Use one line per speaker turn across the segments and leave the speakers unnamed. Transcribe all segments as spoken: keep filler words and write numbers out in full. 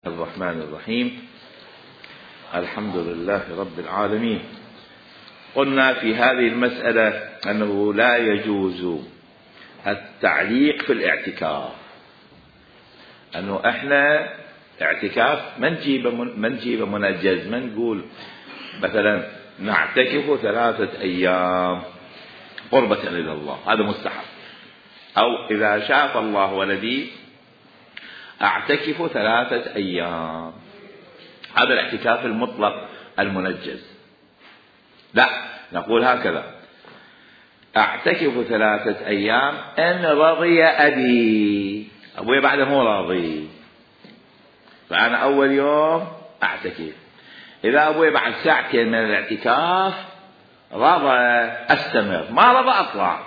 الرحمن الرحيم. الحمد لله رب العالمين. قلنا في هذه المسألة أنه لا يجوز التعليق في الاعتكاف، أنه إحنا اعتكاف ما نجيب ما نجيب منجز، ما نقول مثلا نعتكف ثلاثة أيام قربة إلى الله، هذا مستحب. أو إذا شاف الله ولدي أعتكف ثلاثة أيام، هذا الاعتكاف المطلق المنجز. لا، نقول هكذا: أعتكف ثلاثة أيام إن رضي أبي، أبوي بعده مو راضي، فأنا أول يوم أعتكف. إذا أبوي بعد ساعتين من الاعتكاف رضى أستمر، ما رضى أطلع،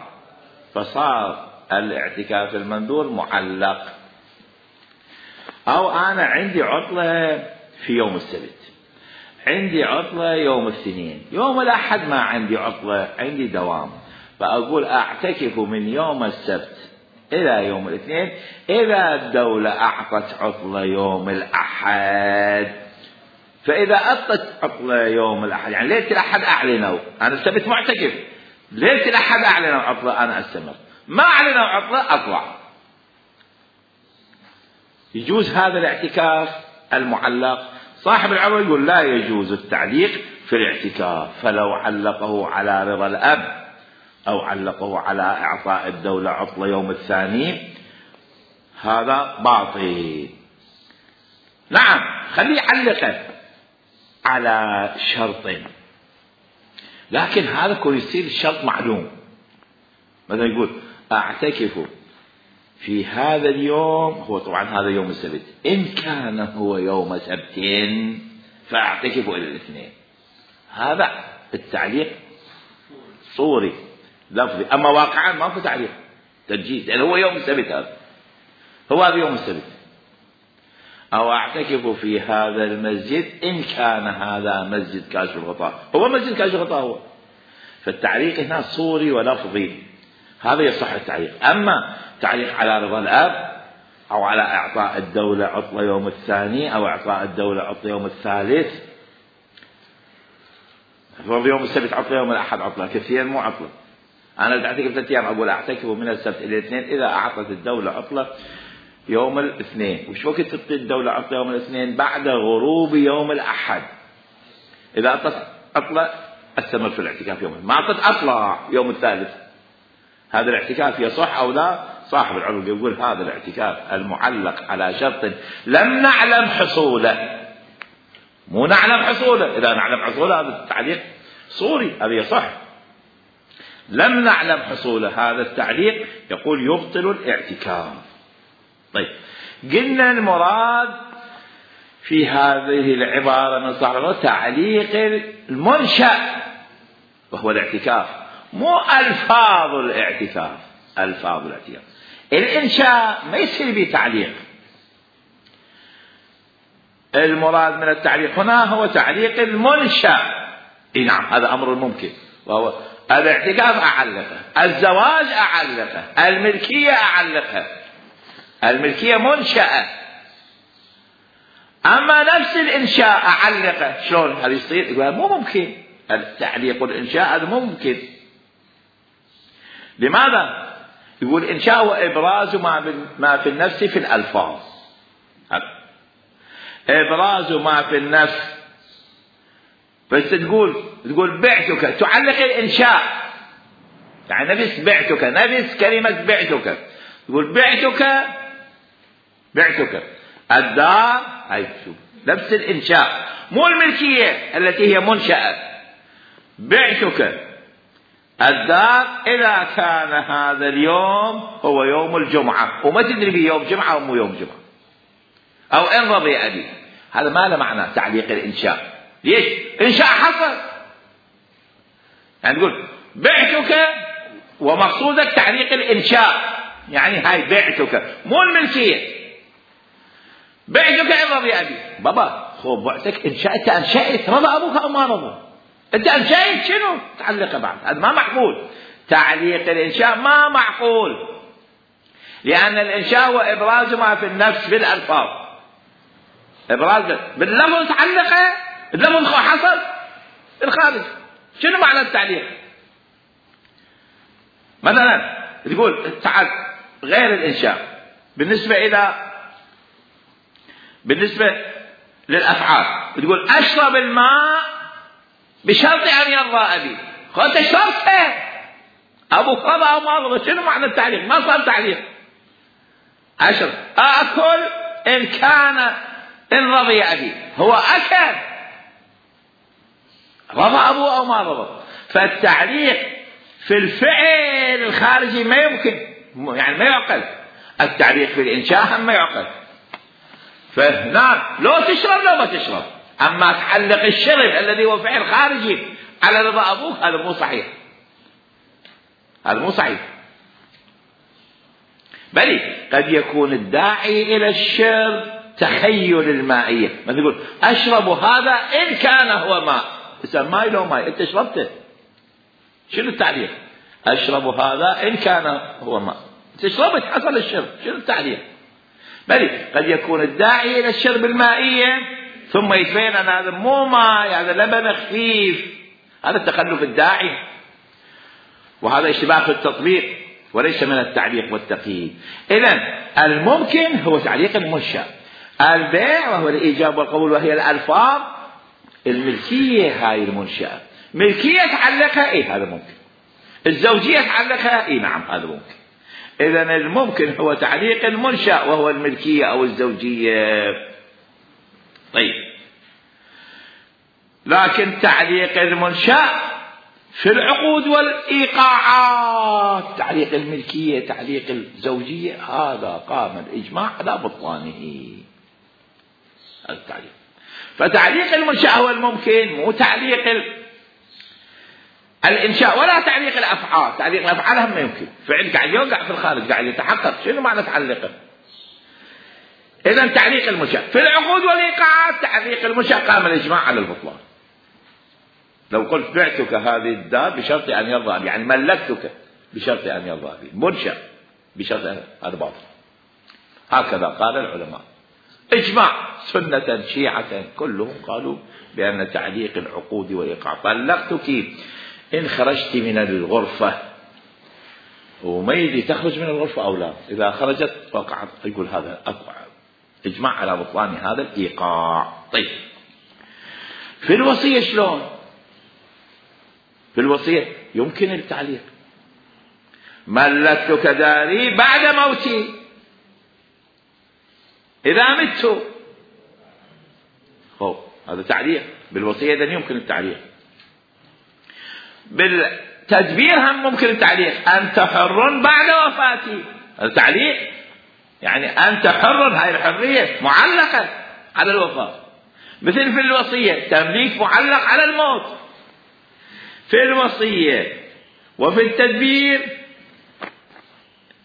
فصار الاعتكاف المنذور معلق. أو أنا عندي عطلة في يوم السبت، عندي عطلة يوم الاثنين، يوم الأحد ما عندي عطلة، عندي دوام، فأقول أعتكف من يوم السبت إلى يوم الاثنين. إذا الدولة أعطت عطلة يوم الأحد، فإذا أعطت عطلة يوم الأحد، يعني ليلة الأحد أعلنوا أنا السبت معتكف، ليلة الأحد أعلنوا عطلة أنا أستمر، ما أعلنوا عطلة أطلع. يجوز هذا الاعتكاف المعلق. صاحب العروة يقول لا يجوز التعليق في الاعتكاف، فلو علقه على رضا الأب أو علقه على إعطاء الدولة عطلة يوم الثاني هذا باطل. نعم، خليه يعلقه على شرط، لكن هذا كل يصير الشرط معلوم. مثلا يقول أعتكف في هذا اليوم، هو طبعا هذا يوم السبت، إن كان هو يوم سبت فأعتكف إلى الاثنين. هذا التعليق صوري لفظي، أما واقعا ما في تعليق تنجيز، لأن هو يوم السبت، هذا هو هذا يوم السبت. أو أعتكف في هذا المسجد إن كان هذا مسجد كاشف الغطاء، هو مسجد كاشف الغطاء هو، فالتعليق هنا صوري ولفظي، هذا يصح التعليق. أما تعليق على رضا الأب أو على إعطاء الدولة عطلة يوم الثاني أو إعطاء الدولة عطلة يوم الثالث، يوم السبت عطلة يوم الأحد عطلة، كثير مو عطلة. أنا بدي أعتكف ثلاثة أيام، أقول أعتكف من السبت إلى الاثنين إذا أعطت الدولة عطلة يوم الاثنين. وش وقت تعطي الدولة عطلة يوم الاثنين؟ بعد غروب يوم الأحد. إذا أعطت عطلة أستمر في الاعتكاف يوم، ما أعطت أطلع يوم الثالث. هذا الاعتكاف يصح أو لا؟ صاحب العروض يقول هذا الاعتكاف المعلق على شرط لم نعلم حصوله، مو نعلم حصوله، إذا نعلم حصوله هذا التعليق صوري، هذا يصح. لم نعلم حصوله، هذا التعليق يقول يبطل الاعتكاف. طيب، قلنا المراد في هذه العبارة من صاحب العروض تعليق المنشأ وهو الاعتكاف، مو ألفاظ الاعتكاف. ألفاظ الاعتكاف الإنشاء ما يصير به تعليق. المراد من التعليق هنا هو تعليق المنشأ. إيه نعم، هذا أمر ممكن، وهو الاعتكاف أعلقه، الزواج أعلقه، الملكية أعلقها. الملكية منشأة، أما نفس الإنشاء أعلقه شلون هذا يصير؟ يقول مو ممكن، التعليق الإنشاء هذا مو ممكن. لماذا؟ يقول إنشاء وإبراز ما في النفس في الألفاظ. إبراز ما في النفس، بس تقول تقول بعتك، تعلق الإنشاء، يعني نفس بعتك، نفس كلمة بعتك، تقول بعتك بعتك الدار، هاي شوف نفس الإنشاء، مو الملكية التي هي منشأة. بعتك الدار إذا كان هذا اليوم هو يوم الجمعة، وما تدري به يوم جمعة أو مو يوم جمعة، أو إن رضي أبي، هذا ما له معنى تعليق الإنشاء. ليش؟ إنشاء حصل، يعني تقول بعتك ومقصودك تعليق الإنشاء، يعني هاي بعتك مو الملكية. بعتك إن رضي أبي، بابا خو بعتك إنشاء، أنشأت، رضى أبوك أو ما رضى؟ أنت أنشأت شنو؟ تعلق بعد، هذا ما معقول. تعليق الإنشاء ما معقول، لأن الإنشاء هو إبراز ما في النفس بالألفاظ. ابراز باللفظ تعلقه، اللفظ حصل الخارج. شنو معنى التعليق؟ مثلا تقول تعال غير الانشاء بالنسبه الى بالنسبه للافعال، تقول اشرب الماء بشرط ان يرضى ابي. خذ شرطه ابو رضى او ما رضى. شنو معنى التعليق؟ ما صار تعليق. اشرب اكل ان كان ان رضي ابي. هو اكل رضى ابوه او ما رضى. فالتعليق في الفعل الخارجي ما يمكن، يعني ما يعقل. التعليق في الانشاء هم ما يعقل. فهنا لو تشرب لو ما تشرب. اما تعلق الشرب الذي هو فعل خارجي على رضا ابوك هذا مو صحيح، هذا مو صحيح. بل قد يكون الداعي الى الشرب تخيل المائيه. مثلا يقول اشرب هذا ان كان هو ماء. اذا ماء لو ماء انت شربته. شنو التعليق؟ اشرب هذا ان كان هو ماء. تشربت حصل الشرب. شنو التعليق؟ بل قد يكون الداعي الى الشرب المائيه ثم يتبين ان هذا مو ماء، هذا لبن خفيف. هذا التخلف الداعي، وهذا اشتباه في التطبيق وليس من التعليق والتقييد. اذن الممكن هو تعليق المنشأ. البيع وهو الايجاب والقبول وهي الالفاظ الملكيه. هاي المنشأة ملكيه تعلقها، اي هذا ممكن. الزوجيه تعلقها، اي نعم هذا ممكن. اذن الممكن هو تعليق المنشأ وهو الملكيه او الزوجيه. طيب، لكن تعليق المنشأ في العقود والإيقاعات، تعليق الملكية تعليق الزوجية، هذا قام الإجماع على بطلانه. هذا التعليق. فتعليق المنشأ هو الممكن، مو تعليق ال... الإنشاء ولا تعليق الأفعال. تعليق الأفعال هم يمكن. فعل قاعد يوقع في الخارج قاعد يتحقق. شنو معنى تعلقه؟ إذن تعليق المنشأ في العقود والإيقاعات، تعليق المنشأ قام الإجماع على البطلان. لو قلت بعتك هذه الدار بشرط أن يرضى بي، يعني ملكتك بشرط أن يرضى بي، منشأ بشرط أن هذا باطل. هكذا قال العلماء إجماع، سنة شيعة كلهم قالوا بأن تعليق العقود والإيقاع. طلقتك إن خرجت من الغرفة، وما يدري تخرج من الغرفة أو لا. إذا خرجت وقعت، يقول هذا أقوى إجماع على بطلان هذا الإيقاع. طيب، في الوصية شلون؟ في الوصية يمكن التعليق. ملكتك داري بعد موتي إذا مت. خب هذا تعليق بالوصية. إذن يمكن التعليق. بالتدبير هم ممكن التعليق. أنت حر بعد وفاتي. هذا تعليق، يعني أنت حر، هاي الحرية معلقة على الوفاة. مثل في الوصية تمليك معلق على الموت. في الوصية وفي التدبير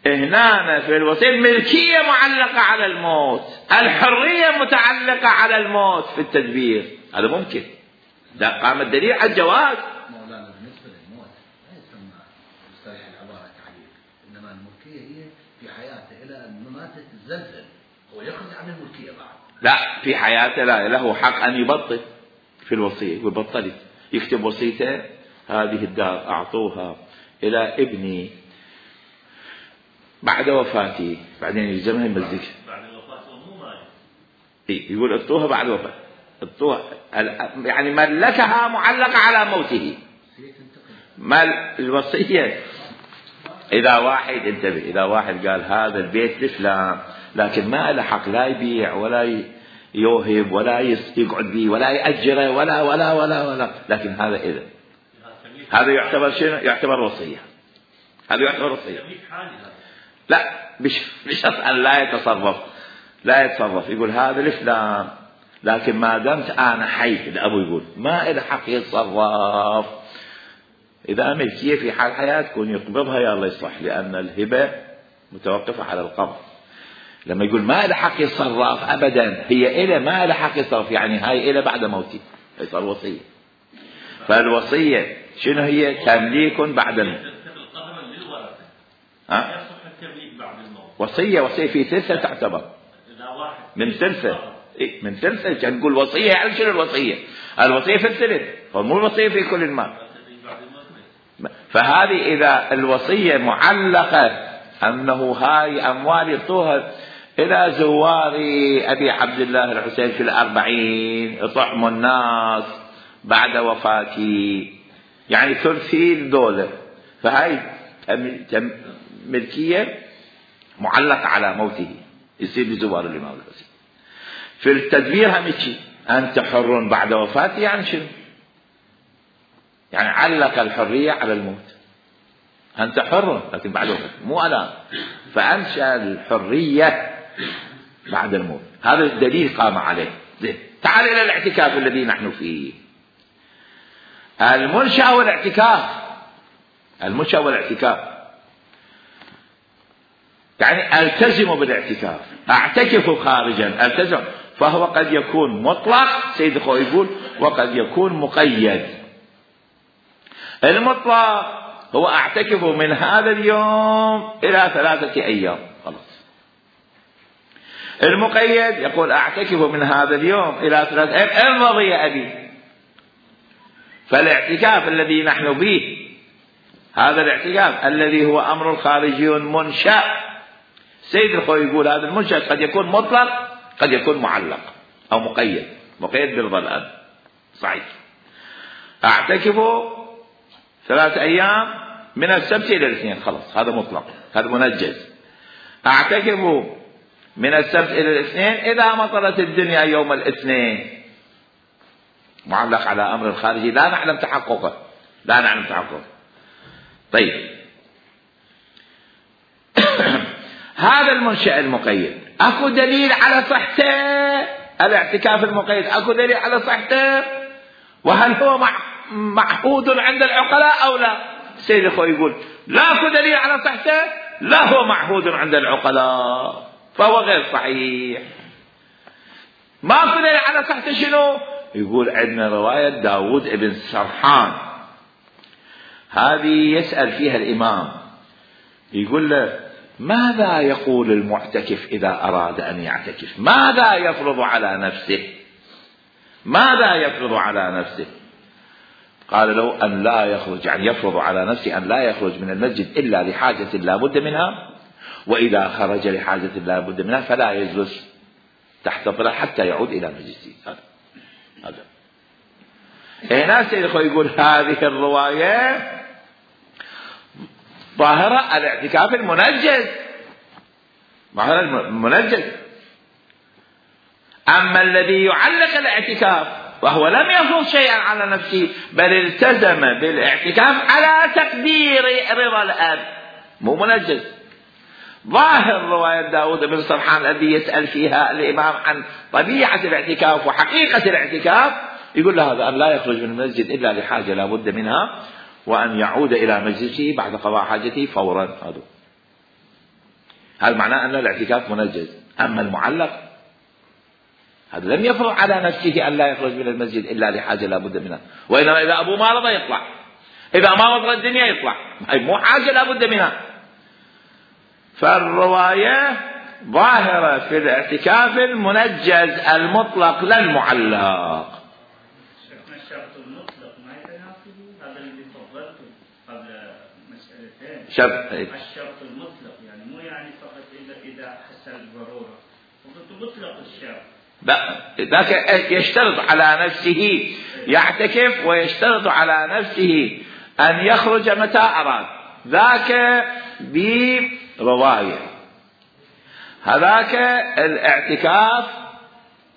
هنا في الوصية الملكية معلقة على الموت، الحرية متعلقة على الموت في التدبير. هذا ممكن. ده قام الدليل على الجواز.
مولانا بالنسبة للموت لا يسمى مصطلح العبارة تعليق، إنما الملكية هي في حياته إلى أن ماتت الزلزل هو يخرج عن الملكية بعد.
لا، في حياته لا، له حق أن يبطل في الوصية. يقول بطلت، يكتب وصيته هذه الدار أعطوها إلى ابني بعد وفاتي، بعدين يلزمها يمزك
بعد وفاته مو ماي.
إيه، يقول اعطوها بعد وفاته، اعطوها يعني ملكها معلقة على موته. مال الوصية إذا واحد انتبه، إذا واحد قال هذا البيت لفلان لكن ما له حق لا يبيع ولا يوهب ولا يقعد به ولا يأجره ولا ولا ولا ولا لكن هذا إذا هذا يعتبر شنو؟ يعتبر وصية. هذا يعتبر وصية. لا، بشرط أن لا يتصرف، لا يتصرف. يقول هذا لفلان لكن ما دمت أنا حي، الأبو يقول ما إله حق يتصرف. إذا ملكية في حال حياة تكون يقبضها يا الله يصلح، لأن الهبة متوقفة على القبض. لما يقول ما إله حق يتصرف أبدا، هي إله ما إله حق يتصرف، يعني هاي إله بعد موتي، يصير وصية. فالوصية شنو هي؟ تمليك بعد الموت. ها؟ وصية وصية في ثلثة تعتبر من ثلثة. إيه من ثلثه. كان نقول وصية يعني شنو الوصية؟ الوصية في الثلث، هو مو الوصية في كل المال. فهذه إذا الوصية معلقة أنه هاي أموال يعطوها إلى زوار أبي عبد الله الحسين في الأربعين يطعموا الناس بعد وفاتي، يعني ثلثي الدولة، فهاي ملكية معلقة على موته يصير بزوار الإمام الحسين. في التدبير هم شيء، أنت حر بعد وفاتي يعني شنو؟ يعني علق الحرية على الموت، أنت حر لكن بعد وفاتي مو الآن، فأنشأ الحرية بعد الموت. هذا الدليل قام عليه. زين، تعال إلى الاعتكاف الذي نحن فيه. المنشأ والاعتكاف، المنشأ والاعتكاف يعني التزم بالاعتكاف، اعتكف خارجا، التزم. فهو قد يكون مطلق سيد الخوي يقول، وقد يكون مقيد. المطلق هو اعتكف من هذا اليوم الى ثلاثة ايام خلاص. المقيد يقول اعتكف من هذا اليوم الى ثلاثة ايام ان رضي ابي. فالاعتكاف الذي نحن به هذا الاعتكاف الذي هو امر خارجي منشأ، سيد الخوي يقول هذا المنشأ قد يكون مطلق قد يكون معلق او مقيد. مقيد برضا الاب صحيح. اعتكف ثلاثة ايام من السبت الى الاثنين خلاص، هذا مطلق، هذا منجز. اعتكف من السبت الى الاثنين اذا مطرت الدنيا يوم الاثنين، معلق على امر خارجي لا نعلم تحققه، لا نعلم تحققه. طيب هذا المنشأ المقيد اكو دليل على صحته؟ الاعتكاف المقيد اكو دليل على صحته؟ وهل هو معهود عند العقلاء او لا؟ سيد اخوي يقول لا اكو دليل على صحته، لا هو معهود عند العقلاء، فهو غير صحيح. ما اكو دليل على صحته شنو؟ يقول عندنا رواية داود ابن سرحان، هذه يسأل فيها الإمام يقول له ماذا يقول المعتكف إذا أراد أن يعتكف؟ ماذا يفرض على نفسه؟ ماذا يفرض على نفسه؟ قال له أن لا يخرج، يعني يفرض على نفسه أن لا يخرج من المسجد إلا لحاجة لا بد منها، وإذا خرج لحاجة لا بد منها فلا يجلس تحت ظل حتى يعود إلى مجلسه. هذا هذا هنا سيد الخوي يقول هذه الرواية ظاهرة الاعتكاف المنجز، ظاهرة المنجز. أما الذي يعلق الاعتكاف وهو لم يفرض شيئا على نفسه بل التزم بالاعتكاف على تقدير رضا الأب، مو منجز. ظاهر رواية داود بن سرحان الذي يسأل فيها الإمام عن طبيعة الاعتكاف وحقيقة الاعتكاف، يقول له هذا أن لا يخرج من المسجد إلا لحاجة لا بد منها، وأن يعود إلى مجلسه بعد قضاء حاجته فورا. هذا هذا معناه أن الاعتكاف منجز. أما المعلق هذا لم يفرض على نفسه أن لا يخرج من المسجد إلا لحاجة لا بد منها، وإنما إذا أبوه ما رضى يطلع، إذا ما رضى الدنيا يطلع، مو حاجة لا بد منها. فالرواية ظاهرة في الاعتكاف المنجز المطلق لا المعلق.
الشرط المطلق ما يتناسب هذا اللي فضلته قبل مسألتين.
شرط
الشرط المطلق يعني مو يعني فقط إذا إذا حصل الضرورة، وقلت مطلق الشرط.
ذاك يشترط على نفسه يعتكف ويشترط على نفسه أن يخرج متى أراد، ذاك برواية. هذاك الاعتكاف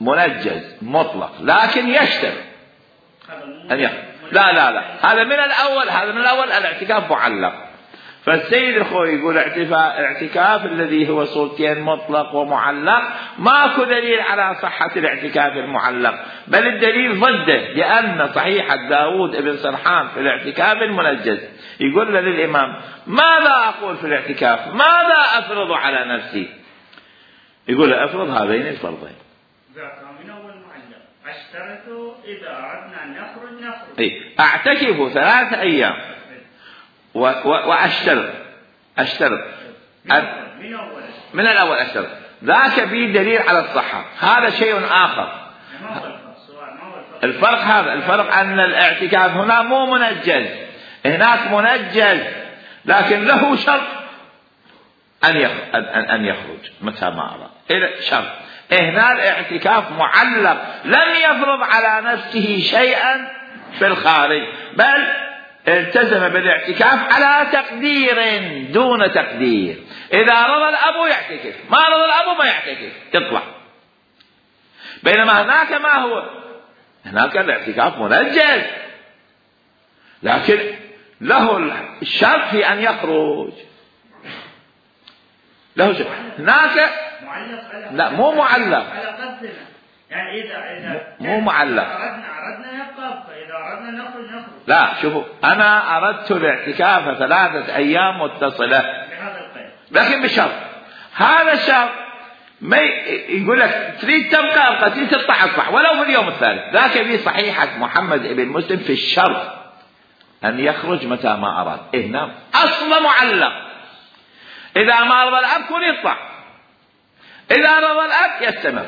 منجز مطلق لكن يشترط أن يخرج. لا لا لا هذا من الأول، هذا من الأول الاعتكاف معلق. فالسيد الخوي يقول الاعتكاف الذي هو صورتين مطلق ومعلق ماكو دليل على صحة الاعتكاف المعلق، بل الدليل ضده، لأن صحيحة داود ابن سرحان في الاعتكاف المنجز يقول له للإمام ماذا أقول في الاعتكاف؟ ماذا أفرض على نفسي؟ يقول له أفرض هذين الفرضين.
من أول معلق أشترط إذا أردنا أن نخرج نخرج.
إيه؟ أعتكف ثلاثة أيام وأشترط أشترط
من, من,
من الأول أشترط ذاك به دليل على الصحة، هذا شيء آخر. الفرق هذا الفرق أن الاعتكاف هنا مو منجز، هناك منجز لكن له شرط أن أن يخرج متى ما أراد، إلى شرط. هنا الاعتكاف معلق، لم يفرض على نفسه شيئا في الخارج، بل التزم بالاعتكاف على تقدير دون تقدير. إذا رضى الأب يعتكف، ما رضى الأب ما يعتكف، يطلع. بينما هناك ما هو، هناك الاعتكاف منجز لكن له الشرط في أن يخرج، له شرط. هناك لا مو معلق،
يعني إذا إذا
مو معلق.
أردنا أردنا يبقى، إذا أردنا نخرج نخرج.
لا شوفوا، أنا أردت الاعتكاف ثلاثة أيام متصلة
بهذا القيد،
لكن بشرط. هذا الشرط ما يقول لك تريد تبقى أبقى، تريد تطلع أطلع ولو في اليوم الثالث. ذاك في صحيحة محمد بن مسلم في الشرط أن يخرج متى ما أراد. هنا أصل معلق، إذا ما رضى الأب كن يطلع، إذا رضى الأب يستمر.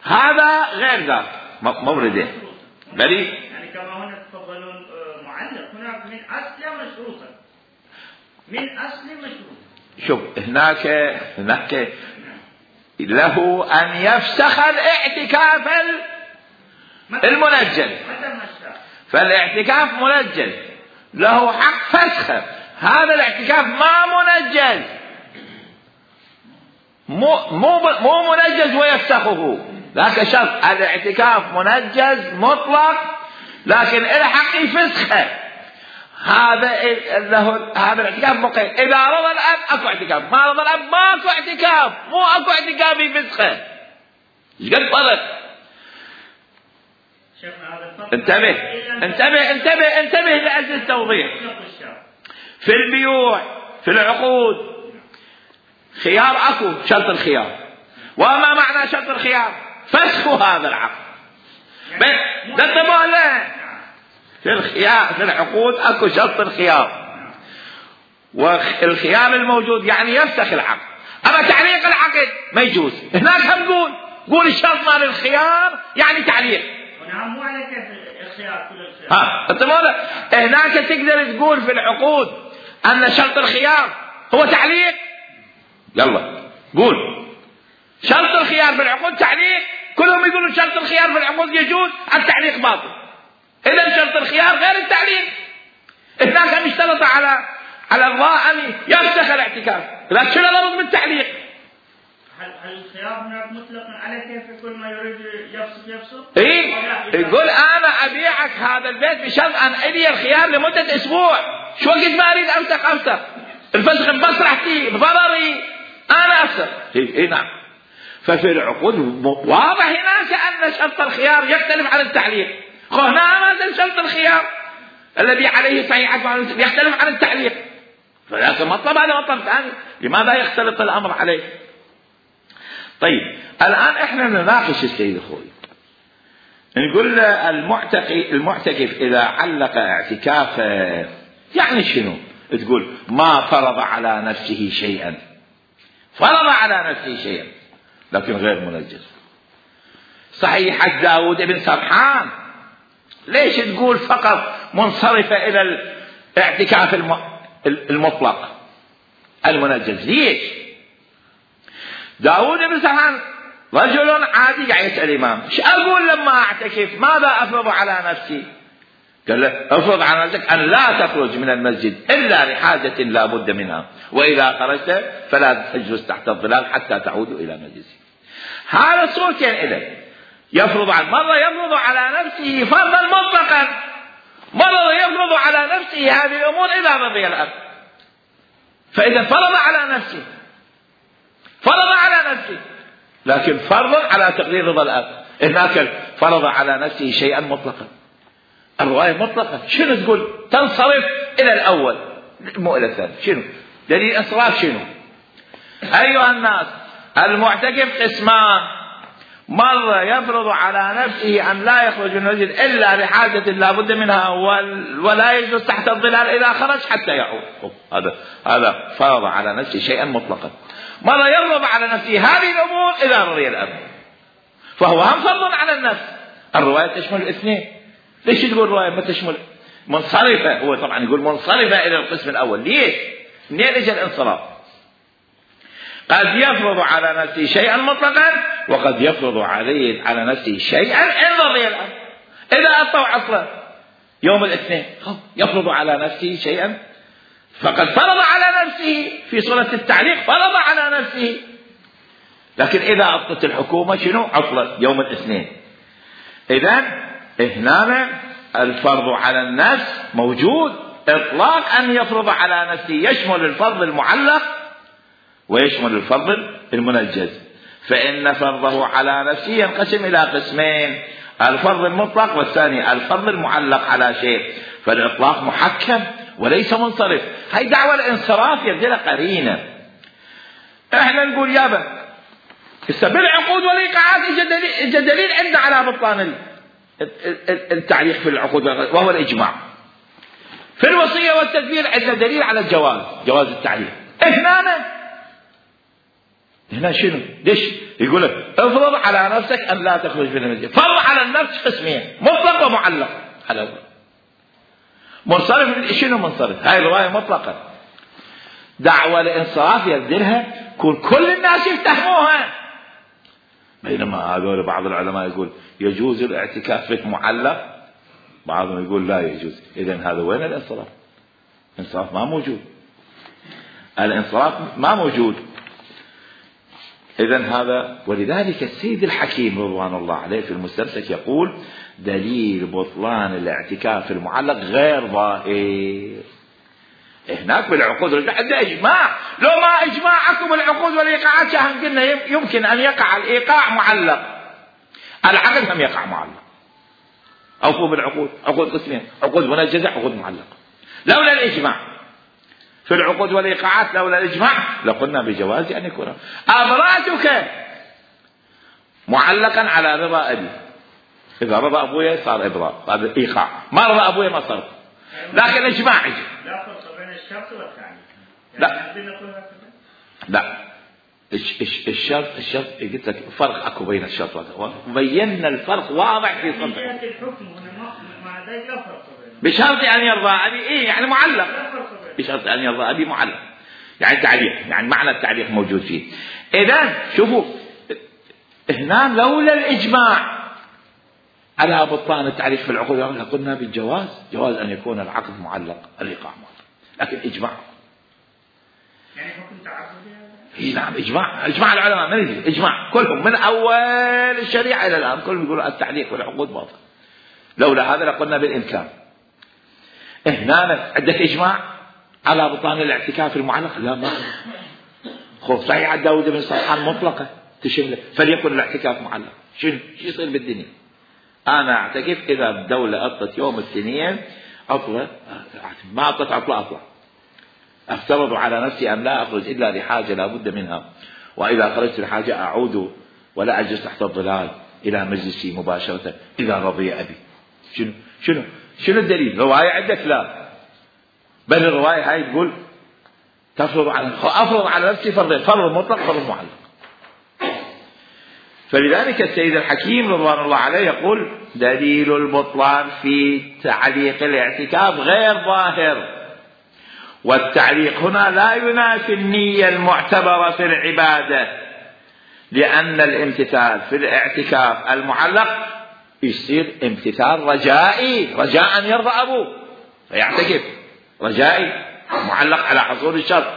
هذا غير ذاك مورده بريء.
يعني كما هنا تفضلون معلق، هناك من أصل مشروطا، من أصل مشروط.
شوف هناك هناك له أن يفسخ الاعتكاف المنجز، فالاعتكاف منجز له حق فسخه. هذا الاعتكاف ما منجز، مو مو مو منجز ويفسخه، ذاك شرط. الاعتكاف منجز مطلق لكن له حق يفسخه. هذا له هذا الاعتكاف مقيد. إذا رضى الأب أكو اعتكاف، ما رضى الأب ماكو اعتكاف، مو أكو اعتكاف يفسخه. ايش قد فرق؟ انتبه انتبه انتبه انتبه لأجل التوضيح. في البيوع في العقود خيار أكو، شرط الخيار. وما معنى شرط الخيار؟ فسخ هذا العقد. انتبهوا له، في الخيار في العقود أكو شرط الخيار، والخيار الموجود يعني يفسخ العقد. أما تعليق العقد ما يجوز. هناك هم قول قول الشرط مال الخيار يعني تعليق.
نعم مو على كيف الخيار كل الخيار.
ها انتبهوا له، هناك تقدر تقول في العقود أن شرط الخيار هو تعليق. يلا قول شرط الخيار في العقود تعليق. كلهم يقولون شرط الخيار في العقود يجوز، التعليق باطل. إذا شرط الخيار غير التعليق. هناك مشترط على على الله أن يفسخ الاعتكاف، لكن شنو الغرض من التعليق؟
هل هل الخيار هناك مطلقا على كيف كل ما يريد يفسخ يفسخ؟
إيه يقول أنا أبيعك هذا البيت بشرط أن ألي الخيار لمدة أسبوع. شو وقت ما أريد أفسخ أفسخ، الفسخ بمصلحتي بضرري أنا أفسخ. إيه نعم. ففي العقود واضح هناك أن شرط الخيار يختلف عن التعليق. هنا مثل شرط الخيار الذي عليه صحيحة يختلف عن التعليق، فذاك مطلب هذا مطلب ثاني. لماذا يختلط الأمر عليه؟ طيب الآن إحنا نناقش السيد الخوي، نقول المعتكف المعتكف إذا علق اعتكافه يعني شنو؟ تقول ما فرض على نفسه شيئا، فرض على نفسه شيئا لكن غير منجز. صحيحة داود بن سرحان ليش تقول فقط منصرفة إلى الاعتكاف المطلق المنجز؟ ليش؟ داود بن سرحان رجل عادي قاعد يسأل الإمام ايش أقول لما أعتكف؟ ماذا أفرض على نفسي؟ قال له افرض على نفسك أن لا تخرج من المسجد إلا لحاجة لا بد منها، وإذا خرجت فلا تجلس تحت الظلال حتى تعود إلى مجلسك. هذا صورتين إليه. يفرض عن مرة يفرض على نفسه فرضا مطلقا، مرة يفرض على نفسه هذه الأمور إذا رضي الأب. فإذا فرض على نفسه فرض على نفسه لكن فرض على تقدير رضا الأب. هناك فرض على نفسه شيئا مطلقا، الرواية مطلقة. شنو تقول؟ تنصرف إلى الأول مو إلى الثاني. شنو دليل إنصراف؟ شنو؟ أيها الناس المعتكف قسمان، مرة يفرض على نفسه أن لا يخرج من المسجد إلا لحاجة لا بد منها ولا يجلس تحت الظلال إذا خرج حتى يعود. هذا هذا فرض على نفسه شيئا مطلقا. مرة يفرض على نفسه هذه الأمور إذا رضي الأمر، فهو هم فرض على النفس. الرواية تشمل الاثنين. ليش تقول الرواية ما تشمل منصرفة؟ هو طبعا يقول منصرفة إلى القسم الأول. ليش؟ منين اجى الانصراف؟ قد يفرض على نفسه شيئا مطلقا وقد يفرض عليه على نفسه شيئا إن رضي الأمر. إذا أطوع عصره يوم الاثنين يفرض على نفسه شيئا، فقد فرض على نفسه في صورة التعليق، فرض على نفسه. لكن إذا أطلت الحكومة شنو؟ عطلة يوم الاثنين. إذن هنا الفرض على النفس موجود. إطلاق أن يفرض على نفسه يشمل الفرض المعلق ويشمل الفرض المنجز. فإن فرضه على نفسه ينقسم إلى قسمين: الفرض المطلق والثاني الفرض المعلق على شيء. فالإطلاق محكم وليس منصرف. هاي دعوة الانصراف يبدأ لها قرينة. احنا نقول يابا بالعقود والإيقاعات اجى دليل عندنا على بطلان التعليق في العقود وهو الإجماع. في الوصية والتدبير عندنا دليل على الجواز، جواز التعليق. هنا هنا شنو؟ ليش يقول لك افرض على نفسك أن لا تخرج من المسجد؟ فرض على النفس قسمين: مطلق ومعلق. على منصرف شنو منصرف؟ هاي الرواية مطلقة. دعوة الانصراف يبدلها كل كل الناس يفتهموها. بينما هذول بعض العلماء يقول يجوز الاعتكاف في معلق، بعضهم يقول لا يجوز. إذن هذا وين الانصراف؟ الانصراف ما موجود. الانصراف ما موجود. إذن هذا. ولذلك السيد الحكيم رضوان الله عليه في المستمسك يقول دليل بطلان الاعتكاف المعلق غير ظاهر. هناك بالعقود عندنا إجماع. لو ما إجماعكم العقود والإيقاعات شاهن قلنا يمكن أن يقع الإيقاع معلق، العقد هم يقع معلق. أوفوا بالعقود، عقود قسمين: عقود منجزة، عقود معلقة. لولا الإجماع في العقود والإيقاعات، لولا الإجماع لقلنا بجواز أن يكون أبراتك معلقا على رضا أبي. إذا رضى أبويا صار إبراء، هذا إيقاع. ما رضى أبويا ما صار. لكن الإجماع يجي.
لا فرق بين الشرط والتعليق.
لا لا الشرط الشرط قلت لك فرق اكو بين الشرط والتعليق. وبينا الفرق واضح في صدق
الحكم هنا مع ذلك لا فرق
بشرط أن يرضى أبي. إيه يعني معلق. بشرط أن يرضى أبي معلق، يعني تعليق، يعني معنى التعليق موجود فيه. إذن شوفوا هنا لولا الإجماع على بطلان التعليق في العقود قلنا بالجواز، جواز أن يكون العقد معلق، الإيقاع معلق. لكن إجماع
يعني حكم تعبدي.
إيه نعم إجماع. إجماع العلماء ما يجي إجماع كلهم من أول الشريعة إلى الآن كلهم يقولوا التعليق والعقود باطل. لولا هذا لقلنا بالإمكان. هنا عندك إجماع على بطلان الاعتكاف المعلق؟ لا ما خوف صحيح عند داود بن صالحان مطلقة تشمله فليكن الاعتكاف معلق. شنو شو يصير بالدنيا؟ أنا أعتكف إذا الدولة أطلت يوم الاثنين عطلة، ما أطلت عطلة أطلع، أفترض على نفسي أن لا أخرج إلا لحاجة لا بد منها، وإذا خرجت لحاجة أعود ولا أجلس تحت الظلال إلى مجلسي مباشرة إذا رضي أبي. شنو شنو شنو الدليل؟ رواية عندك؟ لا، بل الرواية هاي تقول تفرض على أفرض على نفسي فرض فرض مطلق فرض معلق. فلذلك السيد الحكيم رضوان الله عليه يقول دليل البطلان في تعليق الاعتكاف غير ظاهر، والتعليق هنا لا ينافي النية المعتبرة في العبادة، لأن الامتثال في الاعتكاف المعلق يصير امتثال رجائي، رجاء أن يرضى أبوه فيعتكف رجائي معلق على حصول الشرط.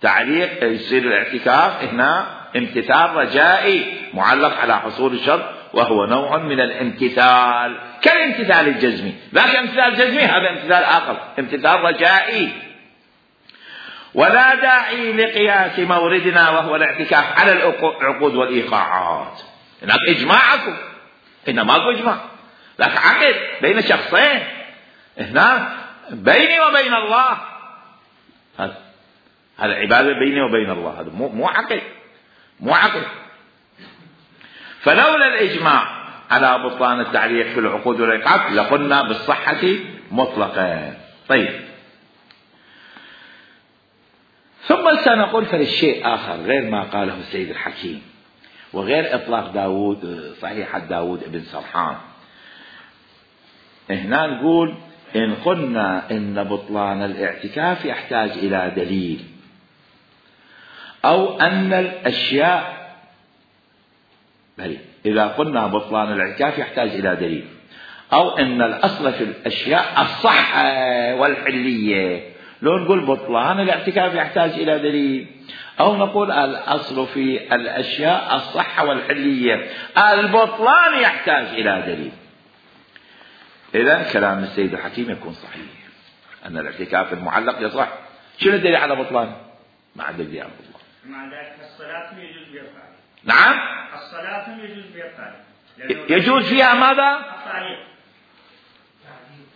تعليق يصير الاعتكاف هنا امتثال رجائي معلق على حصول الشرط، وهو نوع من الامتثال كالامتثال الجزمي، لكن امتثال الجزمي هذا امتثال آخر، امتثال رجائي. ولا داعي لقياس موردنا وهو الاعتكاف على العقود والإيقاعات. هناك إجماعكم، هنا ماكو إجماع، لكن عقد بين شخصين، هنا بيني وبين الله، هذا هذا عبادة بيني وبين الله، هذا مو مو عقد، مو عقد. فلولا الإجماع على بطلان التعليق في العقود والإيقاف لقلنا بالصحة مطلقا. طيب، ثم سنقول فللشيء آخر غير ما قاله السيد الحكيم وغير إطلاق داود صحيحة داود ابن سرحان. هنا نقول إن قلنا إن بطلان الاعتكاف يحتاج إلى دليل، أو أن الأشياء بلي إذا قلنا بطلان الاعتكاف يحتاج إلى دليل، أو أن الأصل في الأشياء الصحة والحلية، لو نقول بطلان الاعتكاف يحتاج إلى دليل، أو نقول الأصل في الأشياء الصحة والحلية، البطلان يحتاج إلى دليل. إذن كلام السيد الحكيم يكون صحيح أن الاعتكاف المعلق يصح. شنو الدليل على بطلان؟ ما عندك دليل على بطلان.
مع ذلك الصلاة يجوز بها التعليق.
نعم،
الصلاة يجوز بها التعليق.
يجوز فيها ماذا؟
التعليق.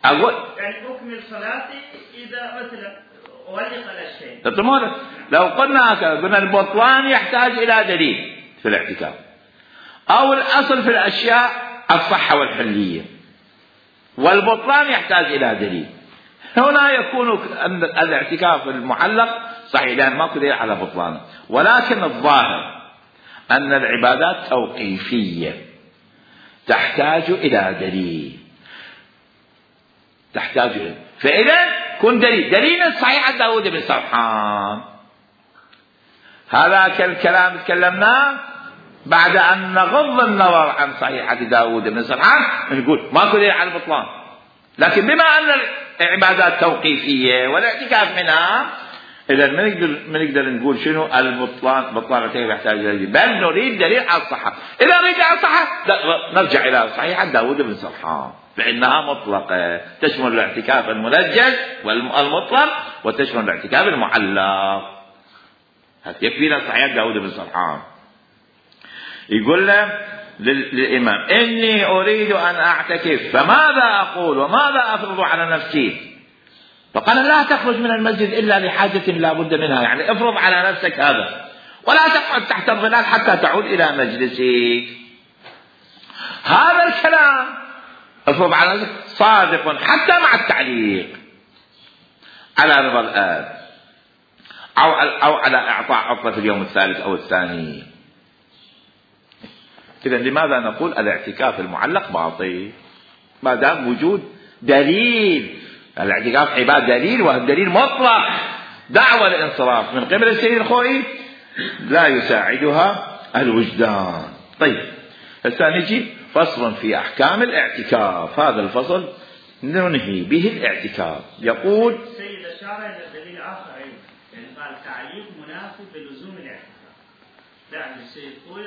أقول
يعني أكمل صلاتي إذا مثلا أولق الشيء.
تمام. لو قلنا هكذا قلنا البطلان يحتاج إلى دليل في الاعتكاف، أو الأصل في الأشياء الصحة والحلية، والبطلان يحتاج إلى دليل. هنا يكون الاعتكاف المعلق صحيح لأن ماكو دليل على بطلانه، ولكن الظاهر أن العبادات توقيفية تحتاج إلى دليل، تحتاج إلى فإذا كن دليل دليل صحيح داود بن سرحان. هذا كالكلام تكلمناه بعد أن نغض النظر عن صحيحة داود بن سرحان نقول ماكو دليل على البطلان، لكن بما أن العبادات توقيفية والاعتكاف منها، إذا ما نقدر ما نقدر نقول شنو البطلان بطلان الاعتكاف يحتاج إلى دليل، بل نريد دليل على الصحة. إذا نريد على الصحة نرجع إلى صحيحة داود بن سرحان فإنها مطلقة تشمل الاعتكاف المنجز والمطلق وتشمل الاعتكاف المعلق. يكفينا صحيحة داود بن سرحان. يقول له للإمام إني أريد أن أعتكف فماذا أقول وماذا أفرض على نفسي؟ فقال لا تخرج من المسجد إلا لحاجة لا بد منها، يعني افرض على نفسك هذا، ولا تقعد تحت الظلال حتى تعود إلى مجلسك. هذا الكلام افرض على نفسك صادق حتى مع التعليق على رضا الآب أو أو على إعطاء عطلة في اليوم الثالث أو الثاني. إذن لماذا نقول الاعتكاف المعلق باطل؟ ما دام وجود دليل. الاعتكاف عبادة دليل، والدليل مطلق. دعوة الانصراف من قبل السيد الخوئي لا يساعدها الوجدان. طيب، هسه نجي فصل في أحكام الاعتكاف. هذا الفصل ننهي به الاعتكاف. يقول
السيد أشار إلى دليل آخر أيضا، يعني قال تعليق منافي بلزوم الاعتكاف. يعني السيد خوئي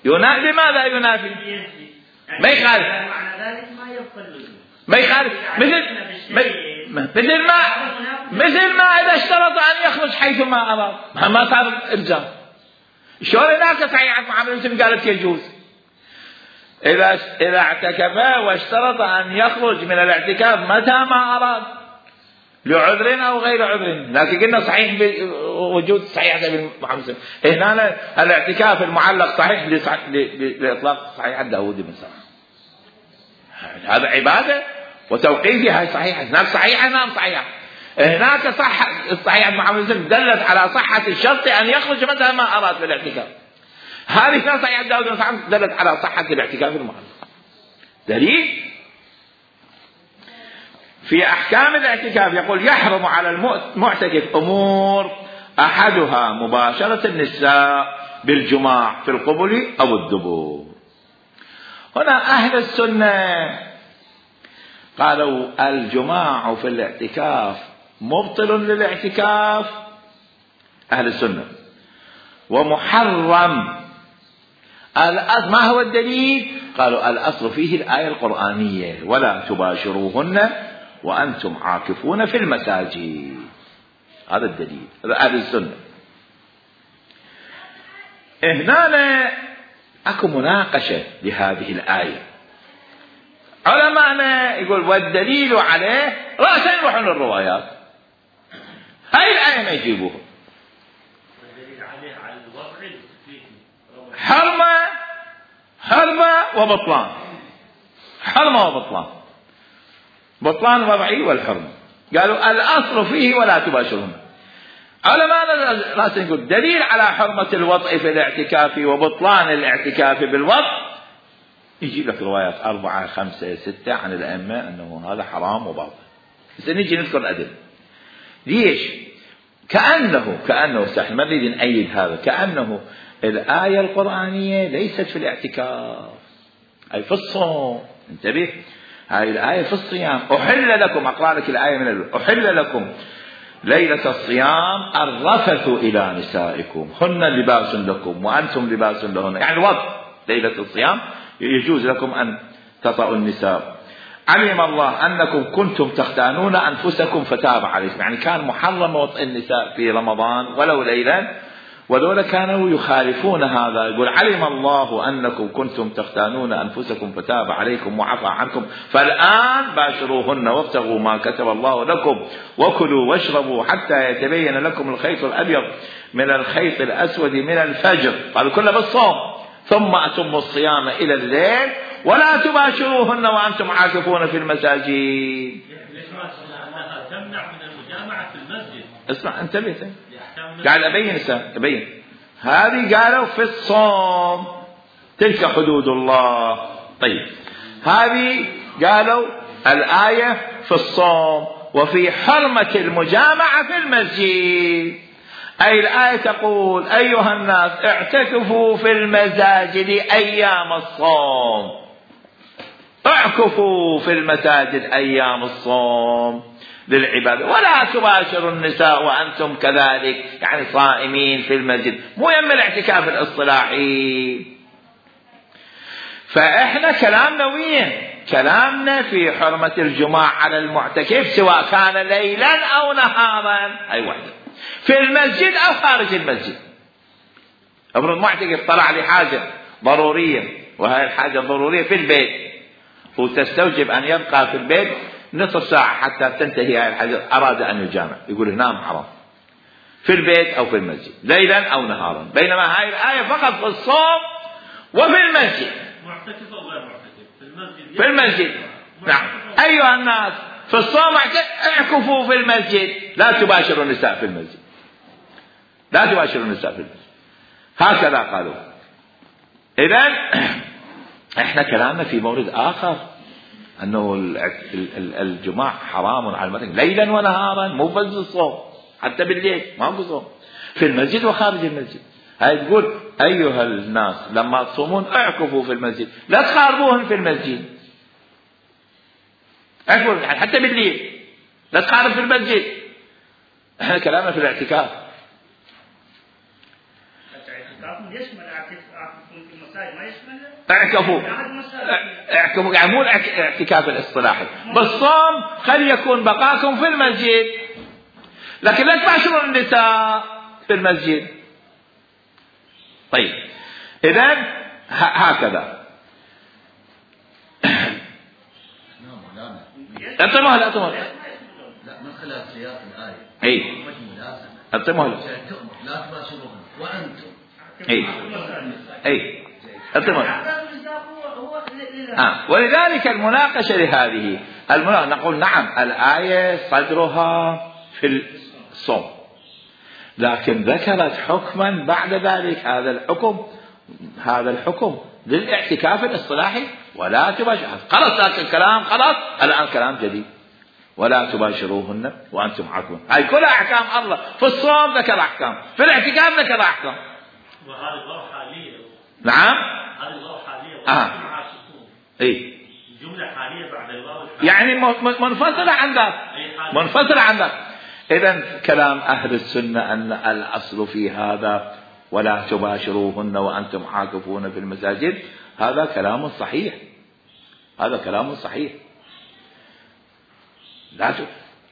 ينافي. لماذا ينافي؟
يعني
ما يخالف،
معنى ذلك ما يبقى اللزوم،
ما يخالف. مثل مثل ما مثل ما إذا اشترط أن يخرج حيث ما أراد ما صار إلزام. شلون هناك صحيحة محمد بن قالت يجوز إذا إذا اعتكف واشترط أن يخرج من الاعتكاف متى ما أراد لعذر أو غير عذر، لكن قلنا صحيح بوجود صحيحة ابن محمد. هنا الاعتكاف المعلق صحيح لإطلاق صحيحة داود بن سرحان. هذا عبادة وتوقيفها صحيحة، نعم صحيحة نعم صحيحة. هناك صح الصحيحة محمد دلت على صحة الشرط أن يخرج متى ما أراد في الاعتكاف. هذه صحيحة داود بن سرحان دلت على صحة الاعتكاف المعلق. دليل في أحكام الاعتكاف يقول يحرم على المعتكف أمور أحدها مباشرة النساء بالجماع في القبل أو الدبر. هنا أهل السنة قالوا الجماع في الاعتكاف مبطل للاعتكاف، أهل السنة، ومحرم. ما هو الدليل؟ قالوا الأصل فيه الآية القرآنية ولا تباشروهن وأنتم عاكفون في المساجد. هذا الدليل، هذا أهل السنة. هنا أكو مناقشة لهذه الآية. علماءنا يقول والدليل عليه رأسا يروحون الروايات، هاي الآية ما يجيبوها. الدليل عليه على الوضع حرمة حرمة وبطلان، حرمة وبطلان، بطلان وضعي والحرمة. قالوا الأصل فيه ولا تباشرون. علماء راس يقول دليل على حرمة الوضع في الاعتكاف وبطلان الاعتكاف بالوضع، يجي لك روايات أربعة خمسة ستة عن الأئمة أنه هذا حرام وباطل. بس نيجي نذكر الأدلة. ليش؟ كأنه كأنه سهل ما نريد نأيد هذا، كأنه الآية القرآنية ليست في الاعتكاف، أي في الصوم. انتبه، هاي الآية في الصيام. أحل لكم، أقرأ لك الآية من الأول، أحل لكم ليلة الصيام الرفث إلى نسائكم هن لباس لكم وأنتم لباس لهن. يعني الوضع ليلة الصيام يجوز لكم أن تطأوا النساء. علم الله أنكم كنتم تختانون أنفسكم فتاب عليكم، يعني كان محرم وطئ النساء في رمضان ولو ليلا، ودول كانوا يخالفون هذا. يقول علم الله أنكم كنتم تختانون أنفسكم فتاب عليكم وعفى عنكم فالآن باشروهن وابتغوا ما كتب الله لكم وكلوا واشربوا حتى يتبين لكم الخيط الأبيض من الخيط الأسود من الفجر. قالوا كله بالصوم. ثم أتموا الصيام إلى الليل ولا تباشروهن وأنتم عاكفون في المساجد.
تمنع من المجامعة في المسجد.
اسمع انتبه، قال أبين أبين هذه قالوا في الصوم تلك حدود الله. طيب هذه قالوا الآية في الصوم وفي حرمة المجامعة في المسجد. أي الآية تقول أيها الناس اعتكفوا في المساجد أيام الصوم، اعكفوا في المساجد أيام الصوم للعبادة، ولا تباشروا النساء وأنتم كذلك، يعني صائمين في المسجد، مو يم الاعتكاف الاصطلاحي. فإحنا كلامنا وين؟ كلامنا في حرمة الجماع على المعتكف سواء كان ليلا أو نهارا، أي واحدة، في المسجد أو خارج المسجد. ابن المعتكف طلع لي حاجة ضرورية، وهي الحاجة الضرورية في البيت، وتستوجب أن يبقى في البيت نصف ساعة حتى تنتهي هذه الحاجة، أراد أن يجامع، يقول هنا حرام في البيت أو في المسجد ليلا أو نهارا. بينما هاي الآية فقط في الصوم وفي المسجد.
معتكف أو غير معتكف في المسجد.
في المسجد نعم. أيها الناس في الصوم اعكفوا في المسجد، لا تباشروا النساء في المسجد، لا تباشروا النساء في المسجد، هكذا قالوا. إذن احنا كلامنا في مورد آخر أنه الجماع حرام على المعتكف ليلا ونهارا، مو بس الصوم، حتى بالليل ما هو صوم، في المسجد وخارج المسجد. هاي تقول أيها الناس لما تصومون اعكفوا في المسجد، لا تخاربوهم في المسجد، اعكفوا يعني حتى بالليل، لا تخارب في المسجد. احنا كلامنا في الاعتكاف.
الاعتكاف يشمل اعتكاف في المساجد ما يشمل
اعكفوا اعكفوا يعني مو الاعتكاف الاصطلاحي. بالصوم خلي يكون بقاكم في المسجد، لكن لا تباشروا النساء في المسجد. طيب إذن هكذا. أنت مهلا أنت مهلا
لا من خلال سياق الآية.
أي أنت مهلا
لا تباشرون وأنتم.
أي أي أنت مهلا. آه. ولذلك المناقشة لهذه المناقشة نقول نعم الآية صدرها في الصوم، لكن ذكرت حكما بعد ذلك، هذا الحكم هذا الحكم للاعتكاف الاصطلاحي ولا تباشر. خلاص ذاك الكلام خلاص، الآن كلام جديد ولا تباشروهن وأنتم عاكفون. هاي كلها أحكام الله. في الصوم ذكر أحكام، في الاعتكاف ذكر أحكام.
وهذه الواو حالية.
نعم
هذه الواو حالية.
آه. إيه
جملة حالية بعد الواو
يعني منفصلة عن ذاك، منفصلة عن ذاك. إذن كلام أهل السنة أن الأصل في هذا ولا تباشروهن وأنتم عاكفون في المساجد، هذا كلام صحيح، هذا كلام صحيح. لا ت...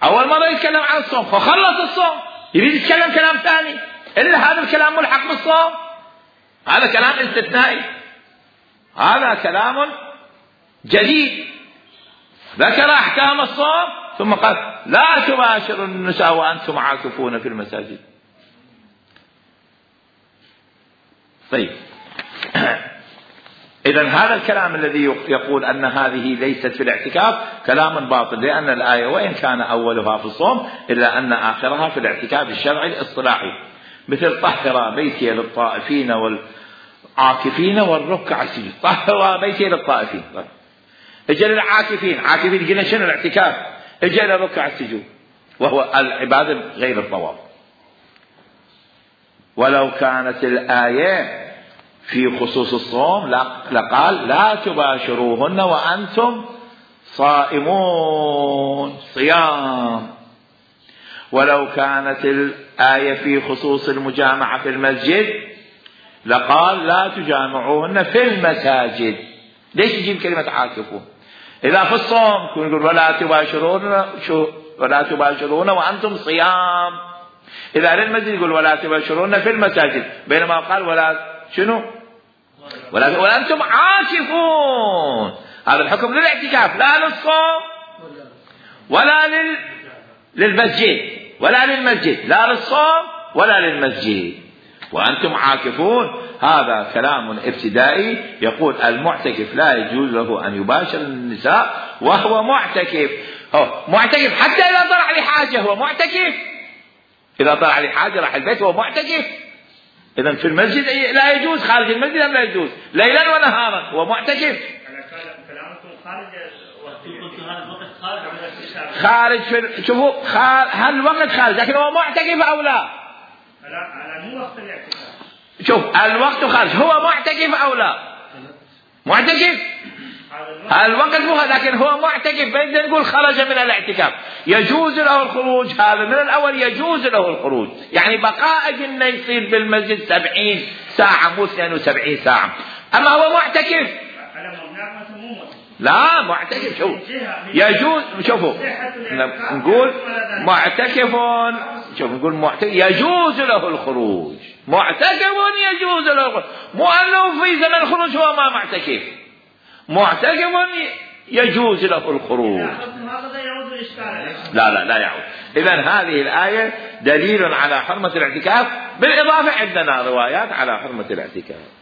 أول مرة يتكلم عن الصوم فخلص الصوم يريد يتكلم كلام ثاني، إلا هذا الكلام ملحق بالصوم، هذا كلام استثنائي، هذا كلام جديد. ذكر أحكام الصوم ثم قال لا تباشروا النساء وأنتم عاكفون في المساجد. طيب إذن هذا الكلام الذي يقول أن هذه ليست في الاعتكاف كلام باطل، لأن الآية وإن كان أولها في الصوم إلا أن آخرها في الاعتكاف الشرعي الاصطلاحي، مثل طهر بيتي للطائفين والعاكفين والركع السجود. طهر بيتي للطائفين، اجى للعاكفين، عاكفين قلنا شنو الاعتكاف، اجى للركع السجود وهو العبادة غير الطواف. ولو كانت الآية في خصوص الصوم لقال لا تباشروهن وأنتم صائمون، صيام. ولو كانت الآية في خصوص المجامعة في المسجد لقال لا تجامعوهن في المساجد. ليش يجيب كلمة عاكفون؟ إذا في الصوم يقول ولا تباشرون شو ولا تباشرون وأنتم صيام، إذا للمسجد يقول ولا تباشرون في المساجد، بينما قال ولا شنو ولا وأنتم عاكفون. هذا الحكم للاعتكاف لا للصوم ولا لل... للمسجد ولا للمسجد، لا للصوم ولا للمسجد. وأنتم عاكفون هذا كلام ابتدائي يقول المعتكف لا يجوز له أن يباشر النساء وهو معتكف. هو معتكف حتى إذا طلع لحاجة هو معتكف، إذا طلع لحاجة راح البيت هو معتكف. إذن في المسجد لا يجوز، خارج المسجد لا يجوز، ليلا ونهارا هو معتكف. خارج في شوفوا هل الوقت خارج لكن هو معتكف أو لا؟
على مو وقت الاعتكاف.
شوف الوقت خارج، هو معتكف أو لا؟ معتكف. الوقت مو لكن هو معتكف، بدنا نقول خرج من الاعتكاف يجوز له الخروج. هذا من الأول يجوز له الخروج، يعني بقاء جنة يصير بالمسجد سبعين ساعة مو اثنين وسبعين ساعة. أما هو معتكف لا معتكف شوف يجوز. شوفوا نقول معتكف، شوف نقول معتكف يجوز له الخروج، معتكف يجوز له الخروج، مو أنه في زمن الخروج هو ما معتكف، معتكف يجوز له الخروج. لا لا لا يعود. إذن هذه الآية دليل على حرمة الاعتكاف، بالإضافة عندنا روايات على حرمة الاعتكاف.